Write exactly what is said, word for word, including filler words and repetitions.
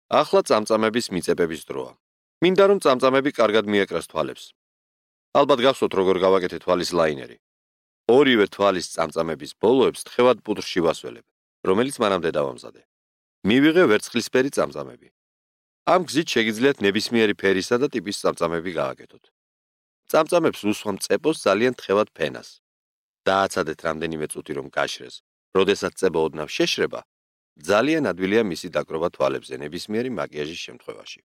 ახლა წამწამების მიწებების დროა. მინდა რომ წამწამები კარგად მიეკრას თვალებს. ალბათ გახსოვთ როგორ გავაკეთე თვალის ლაინერი. ორივე თვალის წამწამების ბოლოებს თხევად პუდრში ვასველებ, რომელიც მანამდე დავამზადე. მივიღე ვერცხლისფერი წამწამები. ამ გზით შეგიძლიათ ნებისმიერი ფერისა და ტიპის წამწამები გააკეთოთ. წამწამებს უსვამ წეპოს ძალიან თხევად ფენას. დააცადეთ რამდენიმე წუთი რომ გაშრეს. როდესაც წება ოდნავ შეშრება, ძალიან ადვილია მისი დაკრობა თვალებზე ნებისმიერი მაკიაჟის შემთხვევაში.